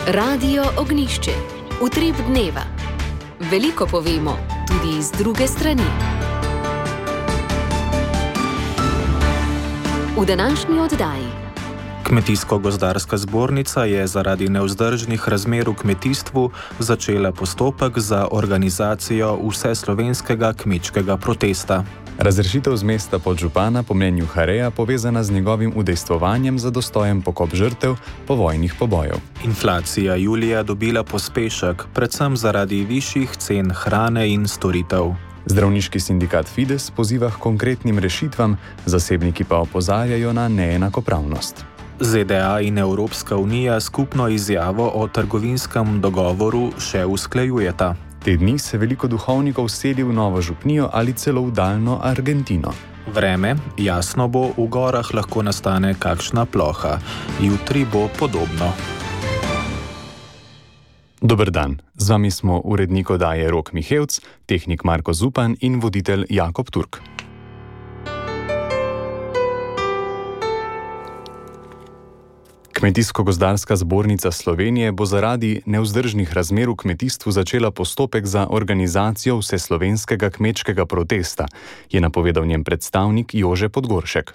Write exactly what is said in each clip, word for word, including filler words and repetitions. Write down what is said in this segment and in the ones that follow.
Radio Ognišče, utrip dneva. Veliko povemo, tudi iz druge strani. V današnji oddaji. Kmetijsko-gozdarska zbornica je zaradi nevzdržnih razmer v kmetijstvu začela postopek za organizacijo vseslovenskega kmečkega protesta. Razrešitev z mesta podžupana po mnenju Hareja povezana z njegovim udejstvovanjem za dostojen pokop žrtev povojnih pobojev. Inflacija julija dobila pospešek, predvsem zaradi višjih cen hrane in storitev. Zdravniški sindikat Fides poziva k konkretnim rešitvam, zasebniki pa opozarjajo na neenakopravnost. Z D A in Evropska unija skupno izjavo o trgovinskem dogovoru še usklajujeta. Te dni se veliko duhovnikov seli v Novo Župnijo ali celo v daljno Argentino. Vreme, jasno bo, v gorah lahko nastane kakšna ploha. Jutri bo podobno. Dober dan, z vami smo urednik oddaje Rok Mihevc, tehnik Marko Zupan in voditelj Jakob Turk. Kmetijsko-gozdarska zbornica Slovenije bo zaradi nevzdržnih razmer v kmetijstvu začela postopek za organizacijo vseslovenskega kmečkega protesta, je napovedal njen predstavnik Jože Podgoršek.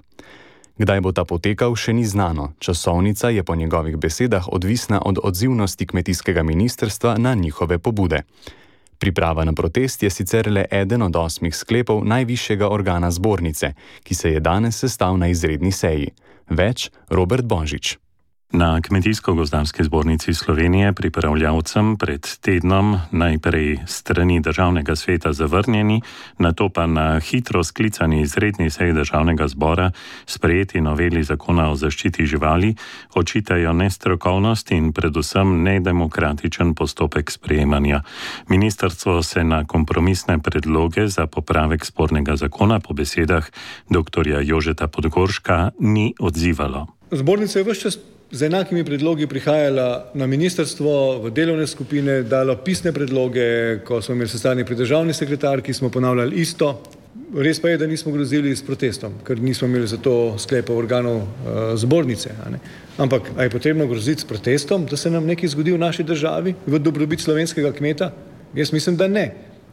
Kdaj bo ta potekal, še ni znano. Časovnica je po njegovih besedah odvisna od odzivnosti kmetijskega ministrstva na njihove pobude. Priprava na protest je sicer le eden od osmih sklepov najvišjega organa zbornice, ki se je danes sestal na izredni seji. Več Robert Božič. Na Kmetijsko-gozdarski zbornici Slovenije pripravljavcem pred tednom najprej strani državnega sveta zavrnjeni, nato pa na hitro sklicani izredni seji državnega zbora sprejeti noveli zakona o zaščiti živali očitajo nestrokovnost in predvsem nedemokratičen postopek sprejemanja. Ministrstvo se na kompromisne predloge za popravek spornega zakona po besedah doktorja Jožeta Podgorška ni odzivalo. Zbornica je ves čas z enakimi predlogi prihajala na ministrstvo, v delovne skupine, dalo pisne predloge, ko smo imeli sestanek pri državni sekretarki, smo ponavljali isto. Res pa je, da nismo grozili s protestom, ker nismo imeli za to sklepov organov uh, zbornice. A ne? Ampak, a je potrebno groziti s protestom, da se nam nekaj zgodi v naši državi, v dobrobit slovenskega kmeta? Jaz mislim, da ne.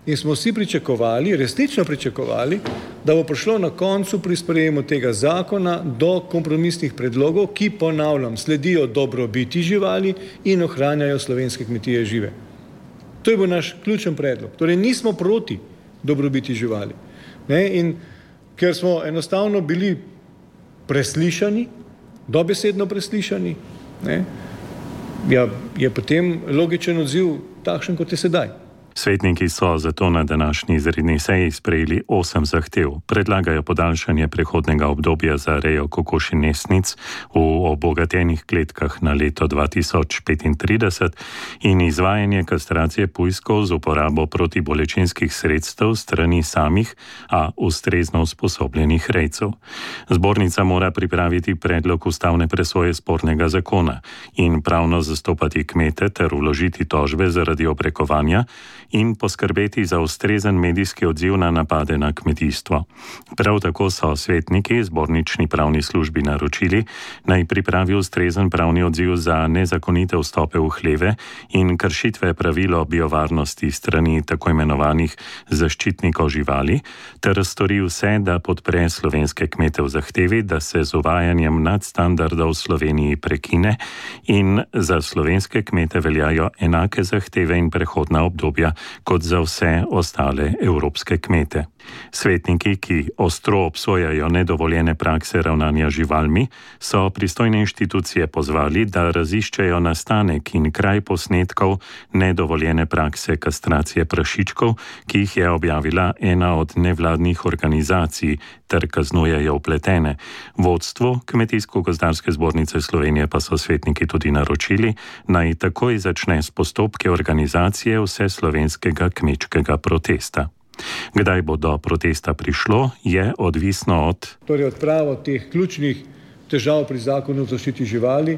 In smo vsi pričakovali, resnično pričakovali, da bo prišlo na koncu pri sprejemu tega zakona do kompromisnih predlogov, ki, ponavljam, sledijo dobrobiti živali in ohranjajo slovenske kmetije žive. To je bil naš ključen predlog. Torej nismo proti dobrobiti živali. Ne? In ker smo enostavno bili preslišani, dobesedno preslišani, ne? Ja, je potem logičen odziv takšen, kot je sedaj. Svetniki so zato na današnji izredni seji sprejeli osem zahtev. Predlagajo podaljšanje prehodnega obdobja za rejo kokoši-nesnic v obogatenih kletkah na leto dva tisoč petintrideset in izvajanje kastracije pujskov z uporabo protibolečinskih sredstev strani samih, a ustrezno usposobljenih rejcev. Zbornica mora pripraviti predlog ustavne presoje spornega zakona in pravno zastopati kmete ter vložiti tožbe zaradi obrekovanja in poskrbeti za ustrezen medijski odziv na napade na kmetijstvo. Prav tako so svetniki zbornični pravni službi naročili, naj pripravi ustrezen pravni odziv za nezakonite vstope v hleve in kršitve pravil o biovarnosti strani tako imenovanih zaščitnikov živali, ter stori vse, da podpre slovenske kmete v zahtevi, da se z uvajanjem nadstandardov v Sloveniji prekine in za slovenske kmete veljajo enake zahteve in prehodna obdobja kot za vse ostale evropske kmete. Svetniki, ki ostro obsojajo nedovoljene prakse ravnanja živalmi, so pristojne inštitucije pozvali, da raziščejo nastanek in kraj posnetkov nedovoljene prakse kastracije prašičkov, ki jih je objavila ena od nevladnih organizacij, ter kaznujejo vpletene. Vodstvu Kmetijsko-gozdarske zbornice Slovenije pa so svetniki tudi naročili, naj takoj začne s postopki organizacije vseslovenskega kmečkega protesta. Kdaj bo do protesta prišlo, je odvisno od... Torej odpravo teh ključnih težav pri zakonu o zaščiti živali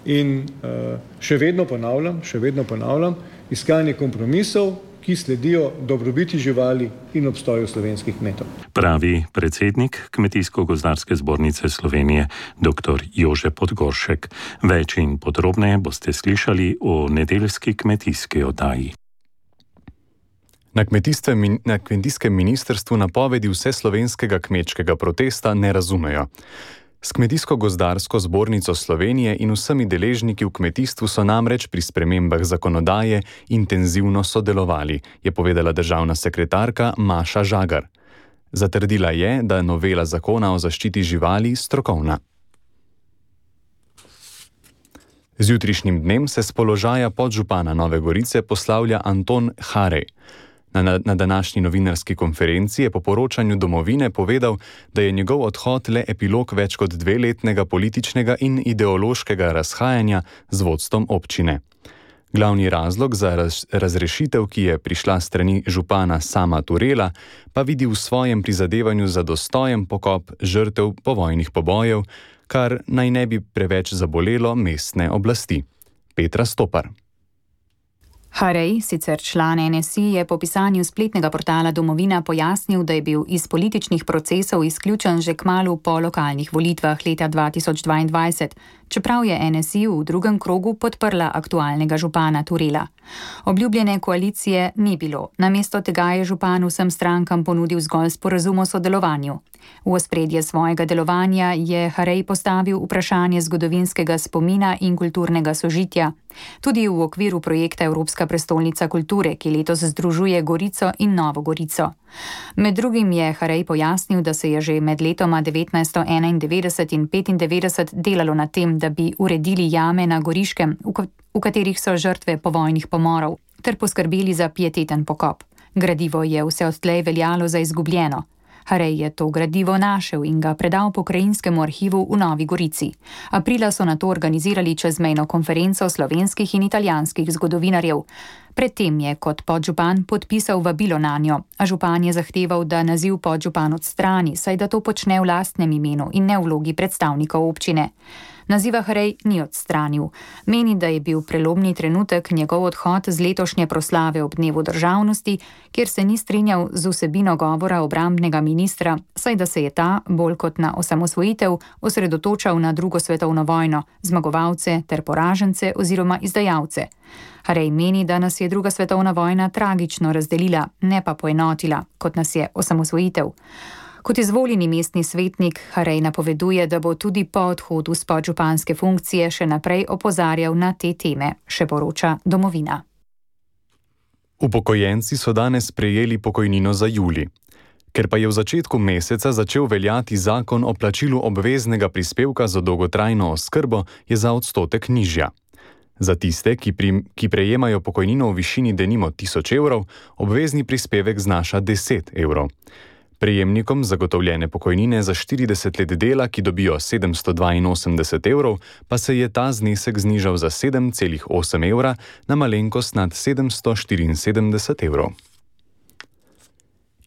in uh, še vedno ponavljam, še vedno ponavljam, iskanje kompromisov, ki sledijo dobrobiti živali in obstoju slovenskih kmetov. Pravi predsednik Kmetijsko-gozdarske zbornice Slovenije, dr. Jože Podgoršek. Več in podrobneje boste slišali o nedeljski kmetijski oddaji. Na, na kmetijskem ministrstvu napovedi vseslovenskega kmečkega protesta ne razumejo. S Kmetijsko-gozdarsko zbornico Slovenije in vsemi deležniki v kmetijstvu so namreč pri spremembah zakonodaje intenzivno sodelovali, je povedala državna sekretarka Maša Žagar. Zatrdila je, da je novela zakona o zaščiti živali strokovna. Z jutrišnjim dnem se s položaja podžupana Nove Gorice poslavlja Anton Harej. Na, na, na današnji novinarski konferenci je po poročanju Domovine povedal, da je njegov odhod le epilog več kot dveletnega političnega in ideološkega razhajanja z vodstvom občine. Glavni razlog za raz, razrešitev, ki je prišla strani župana Sama Turela, pa vidi v svojem prizadevanju za dostojen pokop žrtev povojnih pobojev, kar naj ne bi preveč zabolelo mestne oblasti. Petra Stopar. Harej, sicer član N S I, je po pisanju spletnega portala Domovina pojasnil, da je bil iz političnih procesov izključen že kmalu po lokalnih volitvah leta dva tisoč dvaindvajset, čeprav je N S I v drugem krogu podprla aktualnega župana Turela. Obljubljene koalicije ni bilo, namesto tega je župan vsem strankam ponudil zgolj sporazum o sodelovanju. V ospredje svojega delovanja je Harej postavil vprašanje zgodovinskega spomina in kulturnega sožitja, tudi v okviru projekta Evropska prestolnica kulture, ki letos združuje Gorico in Novo Gorico. Med drugim je Harej pojasnil, da se je že med letoma devetnajststo enaindevetdeset in petindevetdeset delalo na tem, da bi uredili jame na Goriškem, v katerih so žrtve povojnih pomorov, ter poskrbeli za pieteten pokop. Gradivo je vse odtlej veljalo za izgubljeno. Harej je to gradivo našel in ga predal pokrajinskemu arhivu v Novi Gorici. Aprila so nato organizirali čezmejno konferenco slovenskih in italijanskih zgodovinarjev. Predtem je kot podžupan podpisal vabilo nanjo, a župan je zahteval, da naziv podžupan odstrani, saj da to počne v lastnem imenu in ne v vlogi predstavnikov občine. Naziva Harej ni odstranil. Meni, da je bil prelomni trenutek njegov odhod z letošnje proslave ob dnevu državnosti, kjer se ni strinjal z vsebino govora obrambnega ministra, saj da se je ta, bolj kot na osamosvojitev, osredotočal na drugo svetovno vojno, zmagovalce ter poražence oziroma izdajalce. Harej meni, da nas je druga svetovna vojna tragično razdelila, ne pa poenotila, kot nas je osamosvojitev. Kot izvoljeni mestni svetnik Harej napoveduje, da bo tudi po odhodu s podžupanske funkcije še naprej opozarjal na te teme, še poroča Domovina. Upokojenci so danes prejeli pokojnino za julij. Ker pa je v začetku meseca začel veljati zakon o plačilu obveznega prispevka za dolgotrajno oskrbo, je za odstotek nižja. Za tiste, ki, pri, ki prejemajo pokojnino v višini denimo tisoč evrov, obvezni prispevek znaša deset evrov. Prejemnikom zagotovljene pokojnine za štirideset let dela, ki dobijo sedemsto dvainosemdeset evrov, pa se je ta znesek znižal za sedem celih osem evra na malenkost nad sedemsto štiriinsedemdeset evrov.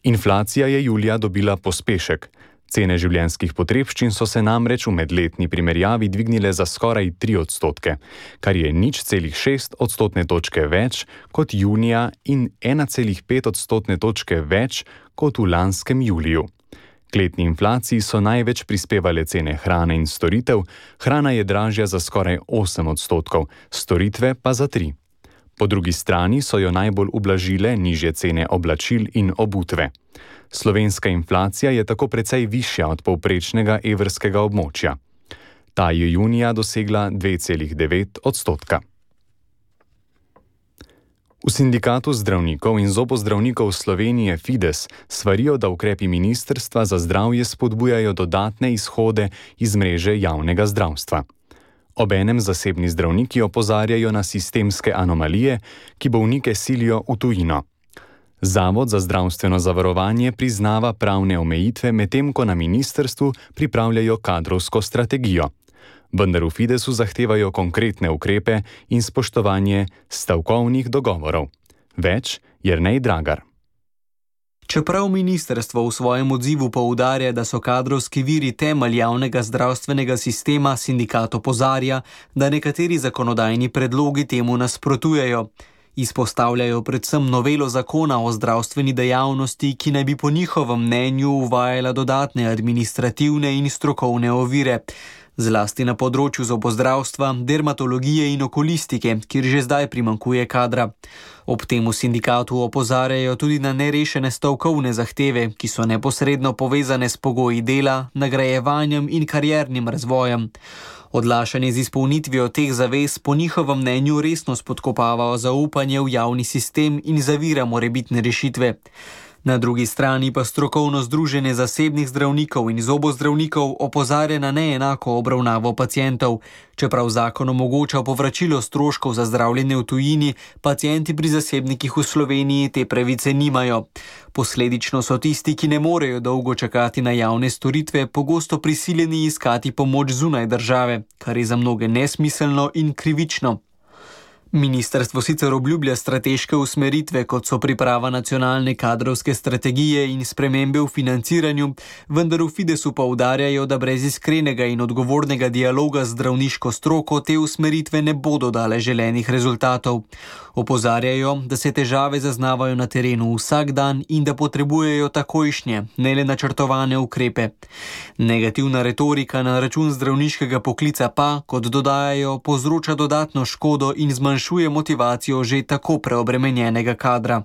Inflacija je julija dobila pospešek. Cene življenjskih potrebščin so se namreč v medletni primerjavi dvignile za skoraj tri odstotke, kar je nič celih šest odstotne točke več kot junija in ena celih pet odstotne točke več kot v lanskem juliju. K letni inflaciji so največ prispevale cene hrane in storitev, hrana je dražja za skoraj osem odstotkov, storitve pa za tri. Po drugi strani so jo najbolj ublažile nižje cene oblačil in obutve. Slovenska inflacija je tako precej višja od povprečnega evrskega območja. Ta je junija dosegla dve celih devet odstotka. V sindikatu zdravnikov in zobozdravnikov Slovenije Fides svarijo, da ukrepi Ministrstva za zdravje spodbujajo dodatne izhode iz mreže javnega zdravstva. Obenem zasebni zdravniki opozarjajo na sistemske anomalije, ki bolnike silijo v tujino. Zavod za zdravstveno zavarovanje priznava pravne omejitve, medtem ko na ministrstvu pripravljajo kadrovsko strategijo. Vendar v Fidesu zahtevajo konkretne ukrepe in spoštovanje stavkovnih dogovorov. Več Jernej Dragar. Čeprav ministrstvo v svojem odzivu poudarja, da so kadrovski viri temelj javnega zdravstvenega sistema, sindikat opozarja, da nekateri zakonodajni predlogi temu nasprotujejo. Izpostavljajo predvsem novelo zakona o zdravstveni dejavnosti, ki naj bi po njihovem mnenju uvajala dodatne administrativne in strokovne ovire, zlasti na področju zobozdravstva, dermatologije in okulistike, kjer že zdaj primanjkuje kadra. Ob tem v sindikatu opozarjajo tudi na nerešene stavkovne zahteve, ki so neposredno povezane s pogoji dela, nagrajevanjem in kariernim razvojem. Odlašanje z izpolnitvijo teh zavez po njihovem mnenju resno spodkopava zaupanje v javni sistem in zavira morebitne rešitve. Na drugi strani pa strokovno združenje zasebnih zdravnikov in zobozdravnikov opozarja na neenako obravnavo pacientov. Čeprav zakon omogoča povračilo stroškov za zdravljenje v tujini, pacienti pri zasebnikih v Sloveniji te pravice nimajo. Posledično so tisti, ki ne morejo dolgo čakati na javne storitve, pogosto prisiljeni iskati pomoč zunaj države, kar je za mnoge nesmiselno in krivično. Ministrstvo sicer obljublja strateške usmeritve, kot so priprava nacionalne kadrovske strategije in spremembe v financiranju, vendar v Fidesu poudarjajo, da brez iskrenega in odgovornega dialoga z zdravniško stroko te usmeritve ne bodo dale želenih rezultatov. Opozarjajo, da se težave zaznavajo na terenu vsak dan in da potrebujejo takojšnje, ne le načrtovane ukrepe. Negativna retorika na račun zdravniškega poklica pa, kot dodajajo, povzroča dodatno škodo in zmanjšuje motivacijo že tako preobremenjenega kadra.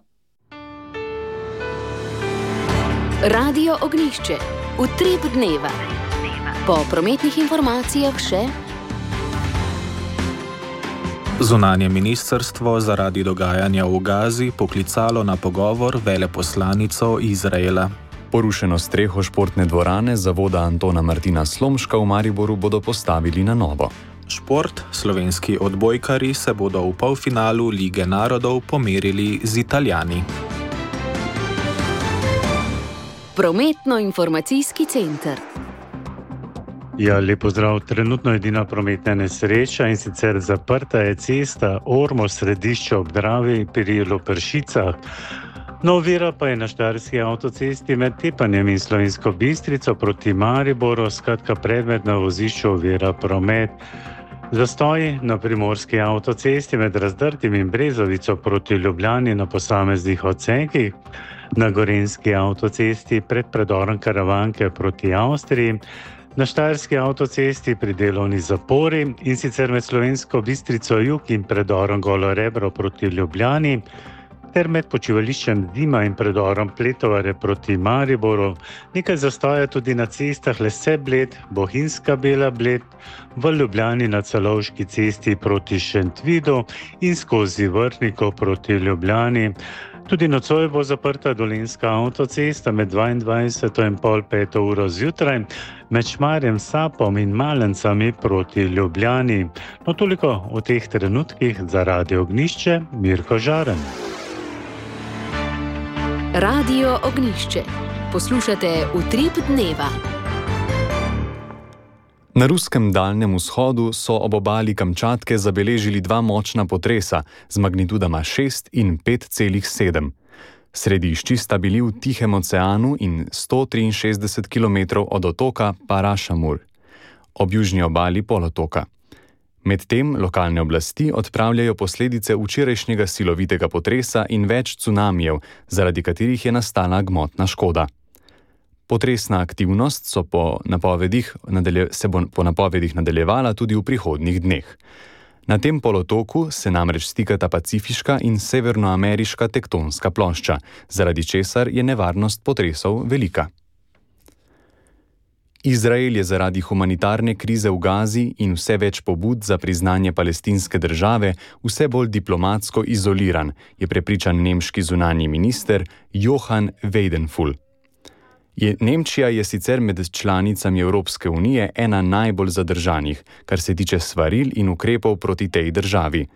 Radio Ognjišče. Utrip dneva. Po prometnih informacijah še Zunanje ministrstvo zaradi dogajanja v Gazi poklicalo na pogovor veleposlanico Izraela. Porušeno streho športne dvorane zavoda Antona Martina Slomška v Mariboru bodo postavili na novo. Šport, slovenski odbojkarji se bodo v polfinalu Lige narodov pomerili z Italijani. Prometno-informacijski center. Ja, lep pozdrav. Trenutno edina prometna nesreča in sicer zaprta je cesta Ormož središče ob Dravi pri Loperšicah. No, ovira pa je na štajerski avtocesti med Tepanjem in Slovensko Bistrico proti Mariboru, skratka predmet na vozišču ovira promet. Zastoji na primorski avtocesti med Razdrtim in Brezovico proti Ljubljani na posameznih odsekih, na gorenjski avtocesti pred predorom Karavanke proti Avstriji, na štajerski avtocesti pri delovni zapori in sicer med Slovensko Bistrico jug in predorom Golo Rebro proti Ljubljani, ter med počivališčem Dima in predorom Pletovare proti Mariboru. Nekaj zastoja tudi na cestah Lese Bled, Bohinjska Bela Bled, v Ljubljani na Celovški cesti proti Šentvidu in skozi Vrhniko proti Ljubljani. Tudi nocoj bo zaprta dolenjska avtocesta med dvaindvajseto in pol peto uro zjutraj, med Šmarjem, Sapom in Malencami proti Ljubljani. No, toliko v teh trenutkih za Radio Ognjišče, Mirko Žaren. Radio Ognjišče. Poslušate Utrip dneva. Na ruskem Daljnem vzhodu so ob obali Kamčatke zabeležili dva močna potresa z magnitudama šest in pet celih sedem. Središči sta bili v Tihem oceanu in sto triinšestdeset kilometrov od otoka Parašamur, ob južni obali polotoka. Medtem lokalne oblasti odpravljajo posledice včerajšnjega silovitega potresa in več cunamijev, zaradi katerih je nastala gmotna škoda. Potresna aktivnost so po napovedih, nadalje, se bo po napovedih nadaljevala tudi v prihodnjih dneh. Na tem polotoku se namreč stikata pacifiška in severnoameriška tektonska plošča, zaradi česar je nevarnost potresov velika. Izrael je zaradi humanitarne krize v Gazi in vse več pobud za priznanje palestinske države vse bolj diplomatsko izoliran, je prepričan nemški zunanji minister Johann Weidenfeld. Je, Nemčija je sicer med članicami Evropske unije ena najbolj zadržanih, kar se tiče svaril in ukrepov proti tej državi.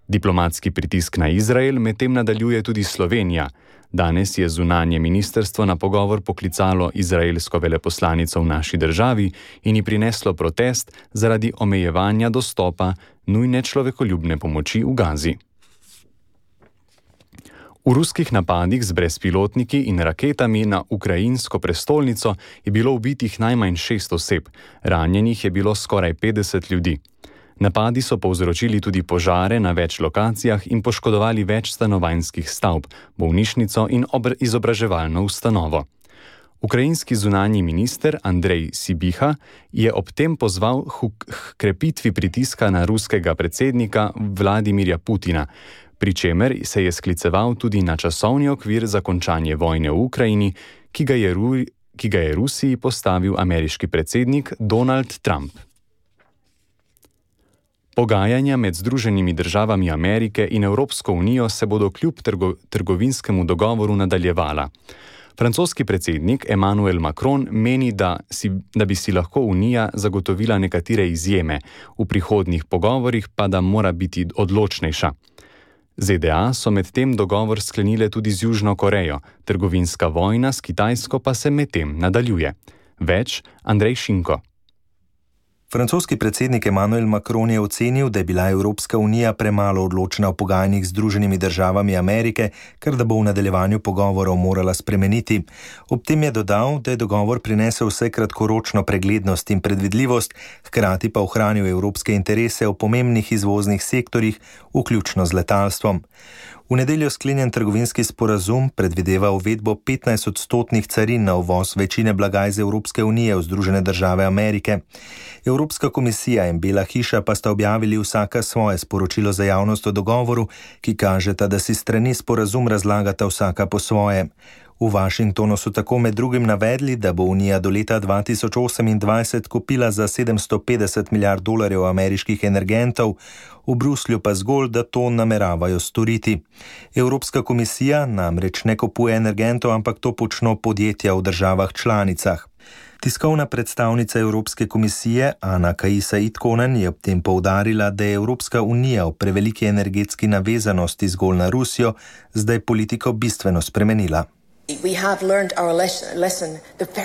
Diplomatski pritisk na Izrael medtem nadaljuje tudi Slovenija. Danes je zunanje ministrstvo na pogovor poklicalo izraelsko veleposlanico v naši državi in ji prineslo protest zaradi omejevanja dostopa nujne človekoljubne pomoči v Gazi. V ruskih napadih z brezpilotniki in raketami na ukrajinsko prestolnico je bilo ubitih najmanj šest oseb, ranjenih je bilo skoraj petdeset ljudi. Napadi so povzročili tudi požare na več lokacijah in poškodovali več stanovanjskih stavb, bolnišnico in izobraževalno ustanovo. Ukrajinski zunanji minister Andrej Sibiha je ob tem pozval k krepitvi pritiska na ruskega predsednika Vladimirja Putina, pri čemer se je skliceval tudi na časovni okvir za končanje vojne v Ukrajini, ki ga je, Ru, ki ga je Rusiji postavil ameriški predsednik Donald Trump. Pogajanja med Združenimi državami Amerike in Evropsko unijo se bodo kljub trgo, trgovinskemu dogovoru nadaljevala. Francoski predsednik Emmanuel Macron meni, da, si, da bi si lahko Unija zagotovila nekatere izjeme, v prihodnjih pogovorih pa da mora biti odločnejša. Z D A so medtem dogovor sklenile tudi z Južno Korejo, trgovinska vojna s Kitajsko pa se medtem nadaljuje. Več Andrej Šinko. Francoski predsednik Emmanuel Macron je ocenil, da je bila Evropska unija premalo odločna v pogajanjih z Združenimi državami Amerike, kar da bo v nadaljevanju pogovorov morala spremeniti. Ob tem je dodal, da je dogovor prinesel vse kratkoročno preglednost in predvidljivost, hkrati pa ohranil evropske interese v pomembnih izvoznih sektorjih, vključno z letalstvom. V nedeljo sklenjen trgovinski sporazum predvideva uvedbo petnajst odstotnih carin na uvoz večine blaga iz Evropske unije v Združene države Amerike. Evropska komisija in Bela hiša pa sta objavili vsaka svoje sporočilo za javnost o dogovoru, ki kažeta, da si strani sporazum razlagata vsaka po svoje. V Washingtonu so tako med drugim navedli, da bo Unija do leta dva tisoč osemindvajset kupila za sedemsto petdeset milijard dolarjev ameriških energentov, v Bruslju pa zgolj, da to nameravajo storiti. Evropska komisija namreč ne kupuje energentov, ampak to počno podjetja v državah članicah. Tiskovna predstavnica Evropske komisije Ana Kaisa Itkonen je ob tem poudarila, da je Evropska unija v preveliki energetski navezanosti zgolj na Rusijo zdaj politiko bistveno spremenila.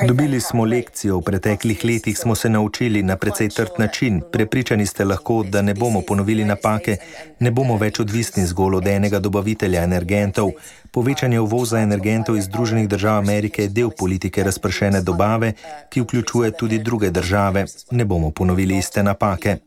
Dobili smo lekcijo, v preteklih letih smo se naučili na precej trd način. Prepričani ste lahko, da ne bomo ponovili napake, ne bomo več odvisni zgolj od enega dobavitelja energentov. Povečanje uvoza energentov iz Združenih držav Amerike je del politike razpršene dobave, ki vključuje tudi druge države. Ne bomo ponovili iste napake.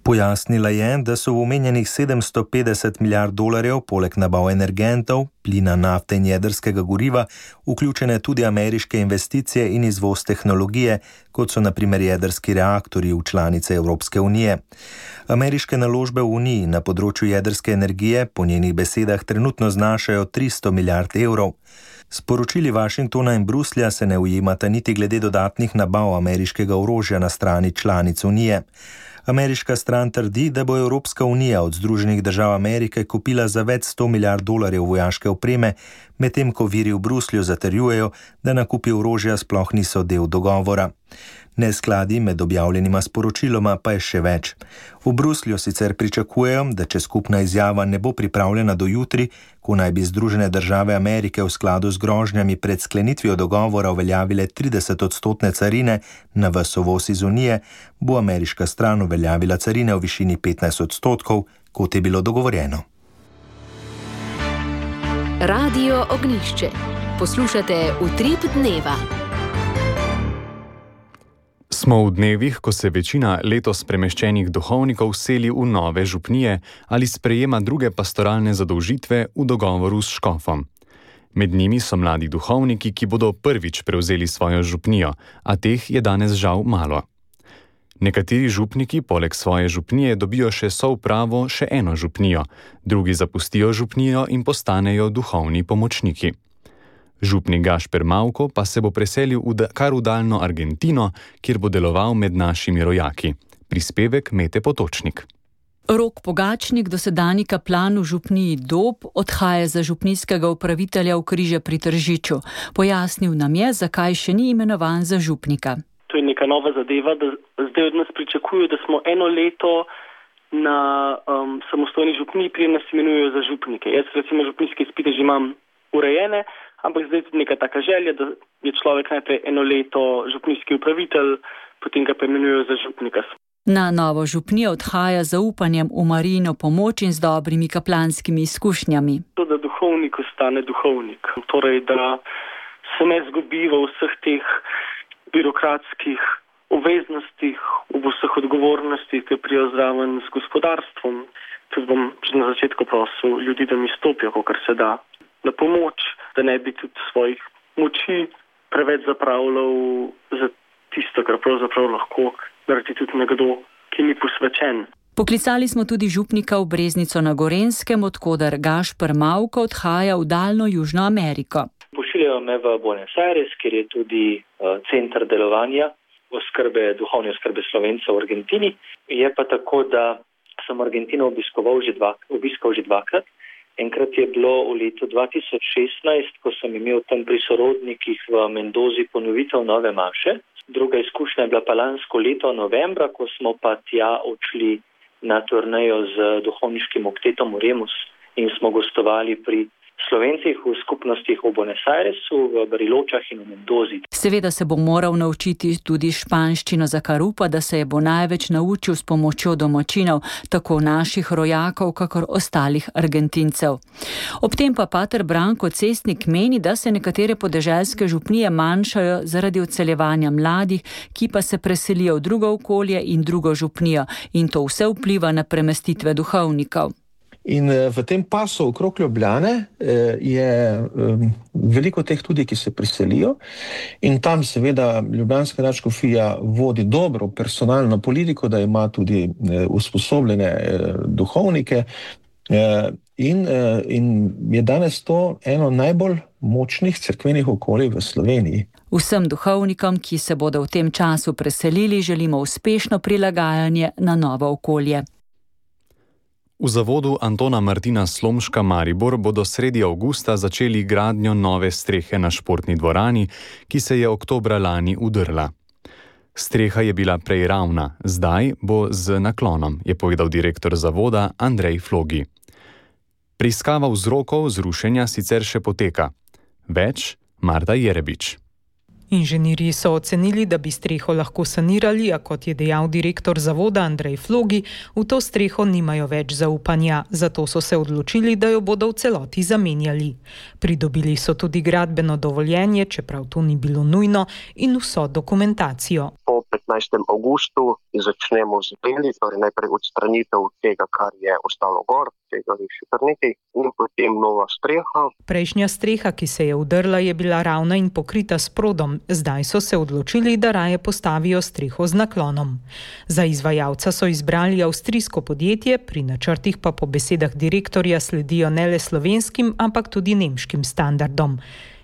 Pojasnila je, da so v omenjenih sedemsto petdeset milijard dolarjev poleg nabav energentov, plina, nafte in jedrskega goriva vključene tudi ameriške investicije in izvoz tehnologije, kot so na primer jedrski reaktorji v članice Evropske unije. Ameriške naložbe v Uniji na področju jedrske energije po njenih besedah trenutno znašajo tristo milijard evrov. Sporočili Washingtona in Bruslja se ne ujemata niti glede dodatnih nabav ameriškega orožja na strani članic Unije. Ameriška stran trdi, da bo Evropska unija od Združenih držav Amerike kupila za več sto milijard dolarjev vojaške opreme, medtem ko viri v Bruslju zatrjujejo, da nakupi orožja sploh niso del dogovora. Neskladi med objavljenima sporočiloma pa je še več. V Bruslju sicer pričakujejo, da če skupna izjava ne bo pripravljena do jutri, ko naj bi Združene države Amerike v skladu z grožnjami pred sklenitvijo dogovora uveljavile trideset odstotne carine na ves uvoz iz Unije, bo ameriška stran uveljavila carine v višini petnajst odstotkov, kot je bilo dogovorjeno. Radio Ognjišče. Poslušate Utrip dneva. Smo v dnevih, ko se večina letos premeščenih duhovnikov seli v nove župnije ali sprejema druge pastoralne zadolžitve v dogovoru s škofom. Med njimi so mladi duhovniki, ki bodo prvič prevzeli svojo župnijo, a teh je danes žal malo. Nekateri župniki poleg svoje župnije dobijo še soupravo še eno župnijo, drugi zapustijo župnijo in postanejo duhovni pomočniki. Župnik Gašper Mavko pa se bo preselil v kar v daljno Argentino, kjer bo deloval med našimi rojaki. Prispevek Mete Potočnik. Rok Pogačnik, dosedanji kaplan v župniji Dob, odhaja za župnijskega upravitelja v Križe pri Tržiču. Pojasnil nam je, zakaj še ni imenovan za župnika. To je neka nova zadeva, da zdaj od nas pričakujejo, da smo eno leto na um, samostojni župniji, preden nas imenujejo za župnike. Jaz recimo župnijske izpite že imam urejene, ampak zdaj je tudi neka taka želja, da je človek najprej eno leto župnijski upravitelj, potem ga pa imenujejo za župnika. Na novo župnijo odhaja z zaupanjem v Marijino pomoč in z dobrimi kaplanskimi izkušnjami. To, da duhovnik ostane duhovnik, torej da se ne zgubi v vseh teh birokratskih obveznostih, v vseh odgovornostih. odgovornosti, ki prijo zraven z gospodarstvom. Tudi bom že na začetku prosil ljudi, da mi stopijo, kakor se da, na pomoč, da ne bi tudi svojih moči preveč zapravljal za tisto, kar pravzaprav lahko naredi tudi nekdo, ki ni posvečen. Poklicali smo tudi župnika v Breznico na Gorenskem, odkoder Gašper Mavko odhaja v daljno Južno Ameriko. Pošiljajo me v Buenos Aires, kjer je tudi uh, center delovanja oskrbe, duhovne oskrbe Slovencev v Argentini. Je pa tako, da sem Argentino obiskoval že, dva, obiskal že dvakrat. Enkrat je bilo v letu dva tisoč šestnajst, ko sem imel tam pri sorodnikih v Mendozi ponovitev nove maše. Druga izkušnja je bila pa lansko leto novembra, ko smo pa tja odšli na turnejo z duhovniškim oktetom Remus in smo gostovali pri Slovencih v skupnostih v Buenos Airesu, v Bariločah in v Mendozi. Seveda se bo moral naučiti tudi španščino, za kar upa, da se je bo največ naučil s pomočjo domačinov, tako naših rojakov, kakor ostalih Argentincev. Ob tem pa pater Branko Cestnik meni, da se nekatere podeželske župnije manjšajo zaradi odseljevanja mladih, ki pa se preselijo v drugo okolje in drugo župnijo, in to vse vpliva na premestitve duhovnikov. In v tem pasu okrog Ljubljane je veliko teh tudi, ki se priselijo, in tam seveda ljubljanska nadškofija vodi dobro personalno politiko, da ima tudi usposobljene duhovnike, in, in je danes to eno najbolj močnih cerkvenih okolij v Sloveniji. Vsem duhovnikom, ki se bodo v tem času preselili, želimo uspešno prilagajanje na novo okolje. V zavodu Antona Martina Slomška Maribor bodo sredi avgusta začeli gradnjo nove strehe na športni dvorani, ki se je oktobra lani udrla. Streha je bila prej ravna, zdaj bo z naklonom, je povedal direktor zavoda Andrej Flogi. Preiskava vzrokov zrušenja sicer še poteka. Več Marta Jerebič. Inženirji so ocenili, da bi streho lahko sanirali, a kot je dejal direktor zavoda Andrej Flogi, v to streho nimajo več zaupanja, zato so se odločili, da jo bodo v celoti zamenjali. Pridobili so tudi gradbeno dovoljenje, čeprav to ni bilo nujno, in vso dokumentacijo. Po petnajstem avgustu začnemo z deli, torej najprej odstranitev tega, kar je ostalo gor, tega je še kar nekaj, in potem nova streha. Prejšnja streha, ki se je udrla, je bila ravna in pokrita s prodom. Zdaj so se odločili, da raje postavijo streho z naklonom. Za izvajalca so izbrali avstrijsko podjetje, pri načrtih pa po besedah direktorja sledijo ne le slovenskim, ampak tudi nemškim standardom.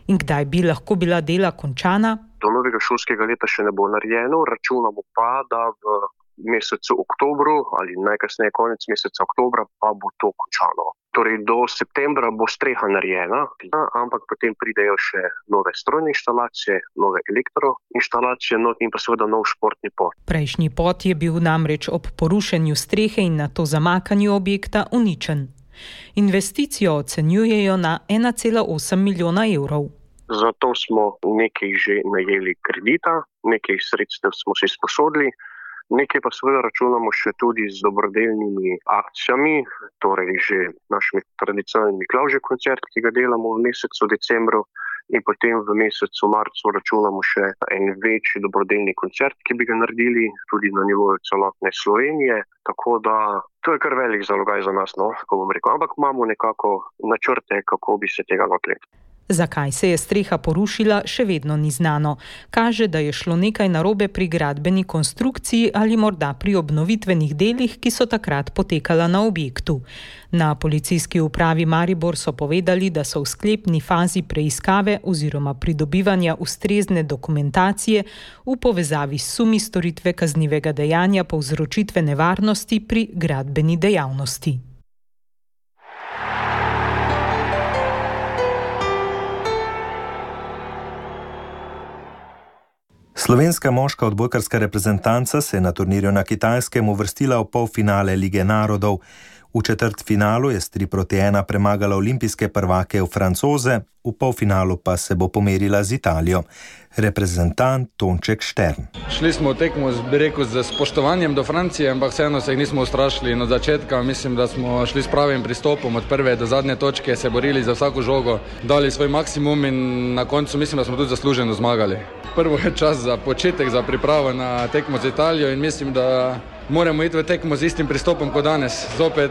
In kdaj bi lahko bila dela končana? Do novega šolskega leta še ne bo narejeno, računamo pa, da v mesecu oktobru ali najkasneje konec meseca oktobra pa bo to končano. Torej do septembra bo streha narejena, ampak potem pridejo še nove strojne inštalacije, nove elektroinštalacije in pa seveda nov športni pot. Prejšnji pot je bil namreč ob porušenju strehe in nato zamakanju objekta uničen. Investicijo ocenjujejo na ena cela osem milijona evrov. Zato smo nekaj že najeli kredita, nekaj sredstev smo si sposodili, nekaj pa seveda računamo še tudi z dobrodelnimi akcijami, torej že našimi tradicionalni Miklavžev koncert, ki ga delamo v mesecu decembru, in potem v mesecu marcu računamo še en večji dobrodelni koncert, ki bi ga naredili tudi na nivoju celotne Slovenije, tako da to je kar velik zalogaj za nas, no, kako bom rekel, ampak imamo nekako načrte, kako bi se tega lotili. Zakaj se je streha porušila, še vedno ni znano. Kaže, da je šlo nekaj narobe pri gradbeni konstrukciji ali morda pri obnovitvenih delih, ki so takrat potekala na objektu. Na policijski upravi Maribor so povedali, da so v sklepni fazi preiskave oziroma pridobivanja ustrezne dokumentacije v povezavi s sumi storitve kaznivega dejanja povzročitve nevarnosti pri gradbeni dejavnosti. Slovenska moška odbojkarska reprezentanca se je na turnirju na Kitajskem uvrstila v polfinale Lige narodov. V četrtfinalu je s tri proti ena premagala olimpijske prvake v Francoze, v polfinalu pa se bo pomerila z Italijo. Reprezentant Tonček Štern. Šli smo v tekmo, bi rekel, z spoštovanjem do Francije, ampak vseeno se jih nismo ustrašili. In od začetka mislim, da smo šli s pravim pristopom, od prve do zadnje točke se borili za vsako žogo, dali svoj maksimum in na koncu mislim, da smo tudi zasluženo zmagali. Prvo je čas za početek, za pripravo na tekmo z Italijo in mislim, da moramo iti v tekmo z istim pristopom kot danes. Zopet,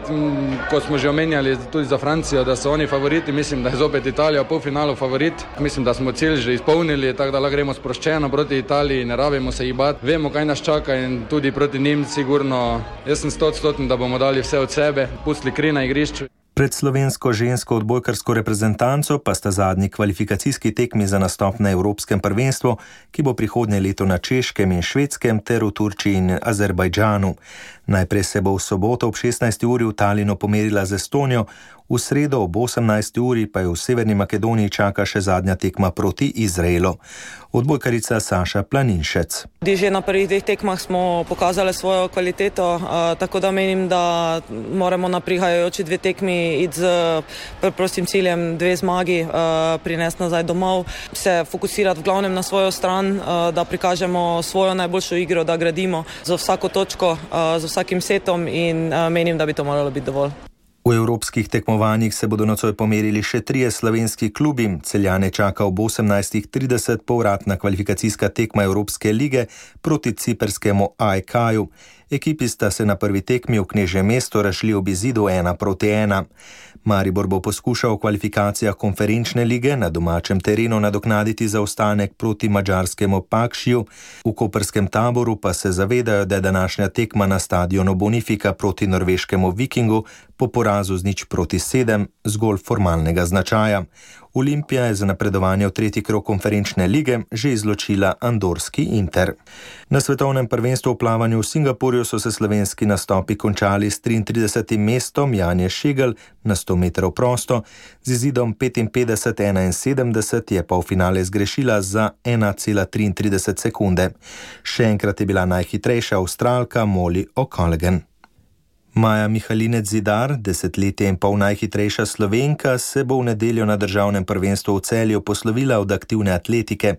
kot smo že omenjali tudi za Francijo, da so oni favoriti, mislim, da je zopet Italija v polfinalu favorit. Mislim, da smo cilj že izpolnili, tako da lahko gremo sproščeno proti Italiji, ne rabimo se jih bati. Vemo, kaj nas čaka in tudi proti njim sigurno. Jaz sem stoodstoten, da bomo dali vse od sebe, pustili kri na igrišču. Pred slovensko žensko odbojkarsko reprezentanco pa sta zadnji kvalifikacijski tekmi za nastop na Evropskem prvenstvu, ki bo prihodnje leto na Češkem in Švedskem ter v Turčiji in Azerbajdžanu. Najprej se bo v soboto ob šestnajsti uri v Talinu pomerila z Estonijo, v sredo ob osemnajsti uri pa jo v Severni Makedoniji čaka še zadnja tekma proti Izraelu. Odbojkarica Saša Planinšec. Že na prvih dveh tekmah smo pokazali svojo kvaliteto, tako da menim, da moramo na prihajajoči dve tekmi iti z prostim ciljem dve zmagi, prinesti nazaj domov, se fokusirati v glavnem na svojo stran, da prikažemo svojo najboljšo igro, da gradimo za vsako točko, za vsakim setom in menim, da bi to moralo biti dovolj. V evropskih tekmovanjih se bodo nocoj pomerili še trije slovenski klubi. Celjane čaka ob osemnajstih trideset povratna kvalifikacijska tekma Evropske lige proti ciprskemu A E K-ju. Ekipi sta se na prvi tekmi v Knežjem mestu razšli ob izidu ena proti ena. Maribor bo poskušal v kvalifikacijah konferenčne lige na domačem terenu nadoknaditi zaostanek proti madžarskemu Pakšiju. V koprskem Taboru pa se zavedajo, da je današnja tekma na stadionu Bonifika proti norveškemu Vikingu po porazu z nič proti sedem zgolj formalnega značaja. Olimpija je za napredovanje v tretji krog konferenčne lige že izločila andorski Inter. Na svetovnem prvenstvu v plavanju v Singapurju so se slovenski nastopi končali s triintridesetim mestom Janje Šegel na sto metrov prosto, z izidom petinpetdeset enainsedemdeset je pa v finale zgrešila za ena cela triintrideset sekunde. Še enkrat je bila najhitrejša Avstralka Molly O'Callaghan. Maja Mihalinec Zidar, desetletje in pol najhitrejša Slovenka, se bo v nedeljo na državnem prvenstvu v Celju poslovila od aktivne atletike.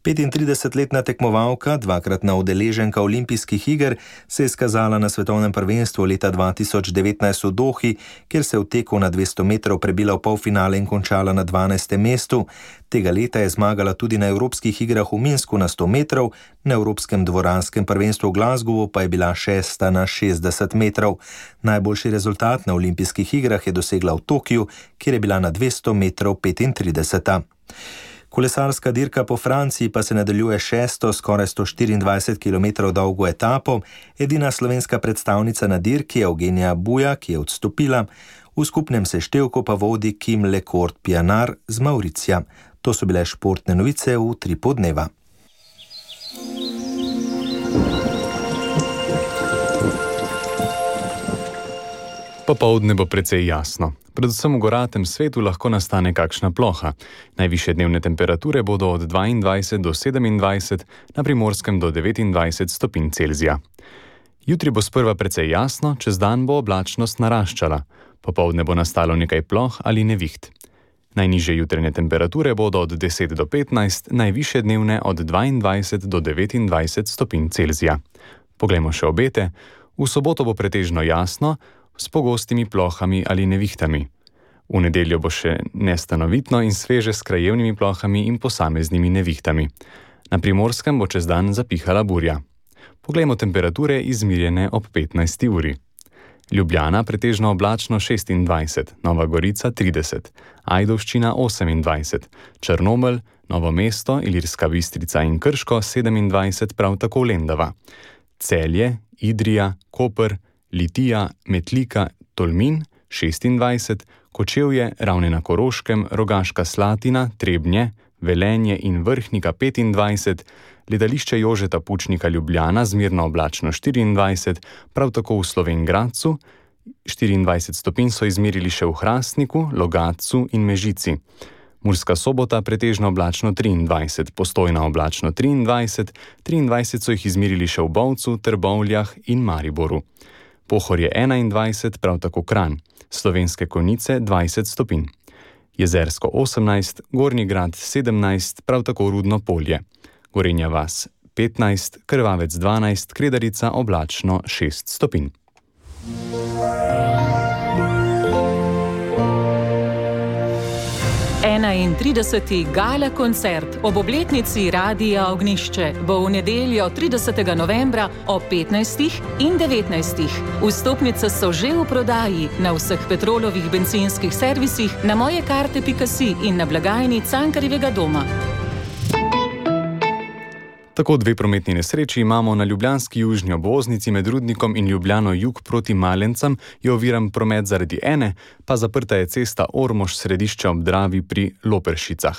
petintridesetletna tekmovalka, dvakratna udeleženka olimpijskih iger, se je izkazala na svetovnem prvenstvu leta dva tisoč devetnajst v Dohi, kjer se je v teku na dvesto metrov prebila v polfinale in končala na dvanajstem mestu. Tega leta je zmagala tudi na evropskih igrah v Minsku na sto metrov, na evropskem dvoranskem prvenstvu v Glasgowu pa je bila šesta na šestdeset metrov. Najboljši rezultat na olimpijskih igrah je dosegla v Tokiu, kjer je bila na dvesto metrov petintrideseta. Kolesarska dirka po Franciji pa se nadaljuje šesto, skoraj sto štiriindvajset kilometrov dolgo etapo. Edina slovenska predstavnica na dirki je Eugenija Buja, ki je odstopila. V skupnem seštevku pa vodi Kim Lecourt Pianar z Mauricija. To so bile športne novice v Utripu dneva. Popoldne bo precej jasno. Predvsem v goratem svetu lahko nastane kakšna ploha. Najvišje dnevne temperature bodo od dvaindvajset do sedemindvajset, na Primorskem do devetindvajset stopinj Celzija. Jutri bo sprva precej jasno, čez dan bo oblačnost naraščala. Popoldne bo nastalo nekaj ploh ali neviht. Najnižje jutranje temperature bodo od deset do petnajst, najvišje dnevne od dvaindvajset do devetindvajset stopinj Celzija. Poglejmo še obete. V soboto bo pretežno jasno, s pogostimi plohami ali nevihtami. V nedeljo bo še nestanovitno in sveže s krajevnimi plohami in posameznimi nevihtami. Na Primorskem bo čez dan zapihala burja. Poglejmo temperature izmirjene ob petnajsti uri. Ljubljana pretežno oblačno šestindvajset, Nova Gorica trideset, Ajdovščina osemindvajset, Črnomelj, Novo mesto, Ilirska Bistrica in Krško sedemindvajset, prav tako Lendava. Celje, Idrija, Koper, Litija, Metlika, Tolmin šestindvajset, Kočevje, Ravne na Koroškem, Rogaška Slatina, Trebnje, Velenje in Vrhnika petindvajset, letališče Jožeta Pučnika Ljubljana zmerno oblačno štiriindvajset, prav tako v Slovenj Gradcu, štiriindvajset stopinj so izmerili še v Hrastniku, Logatcu in Mežici. Murska Sobota pretežno oblačno triindvajset, Postojna oblačno triindvajset, triindvajset so jih izmerili še v Bovcu, Trbovljah in Mariboru. Pohorje enaindvajset, prav tako Kranj, Slovenske Konjice dvajset stopinj. Jezersko osemnajst, Gornji Grad sedemnajst, prav tako Rudno Polje. Gorenja vas petnajst, Krvavec dvanajst, Kredarica oblačno šest stopinj. enaintrideseti gala koncert ob obletnici Radia Ognjišče bo v nedeljo tridesetega novembra ob petnajstih in devetnajstih. Vstopnice so že v prodaji na vseh Petrolovih bencinskih servisih, na mojekarte pika si in na blagajni Cankarjevega doma. Tako dve prometni nesreči imamo na ljubljanski južni obvoznici med Rudnikom in Ljubljano jug proti Malencem, je oviran promet zaradi ene, pa zaprta je cesta Ormož središče ob Dravi pri Loperšicah.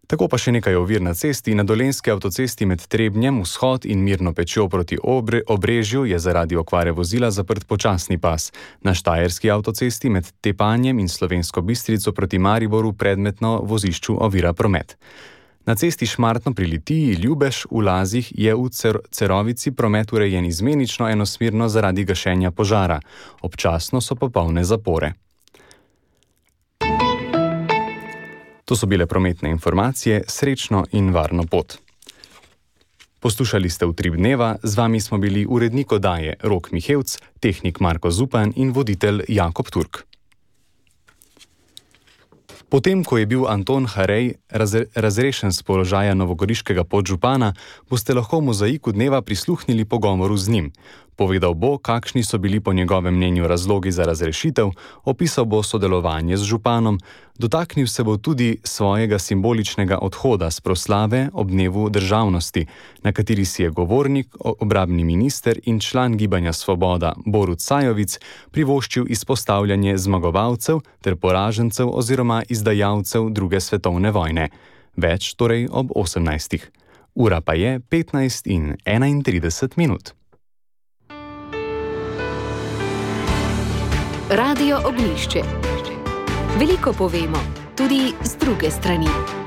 Tako pa še nekaj ovir na cesti. Na Dolenjski avtocesti med Trebnjem, Vzhod in Mirno Pečjo proti Obre, Obrežju je zaradi okvare vozila zaprt počasni pas. Na Štajerski avtocesti med Tepanjem in Slovensko Bistrico proti Mariboru predmetno vozišču ovira promet. Na cesti Šmartno pri Litiji, Ljubež, v Lazih je v Cer- Cerovici promet urejen izmenično enosmerno zaradi gašenja požara. Občasno so popolne zapore. To so bile prometne informacije, srečno in varno pot. Poslušali ste Utrip dneva, z vami smo bili urednik oddaje Rok Mihevc, tehnik Marko Zupan in voditelj Jakob Turk. Potem, ko je bil Anton Harej razre- razrešen z položaja novogoriškega podžupana, boste lahko v Mozaiku dneva prisluhnili pogovoru z njim. Povedal bo, kakšni so bili po njegovem mnenju razlogi za razrešitev, opisal bo sodelovanje z županom, dotaknil se bo tudi svojega simboličnega odhoda s proslave ob dnevu državnosti, na kateri si je govornik, obrambni minister in član Gibanja Svoboda Borut Sajovic privoščil izpostavljanje zmagovalcev ter poražencev oziroma izdajalcev druge svetovne vojne. Več torej ob osemnajstih. Ura pa je petnajst in enaintrideset minut. Radio Ognjišče. Veliko povemo, tudi z druge strani.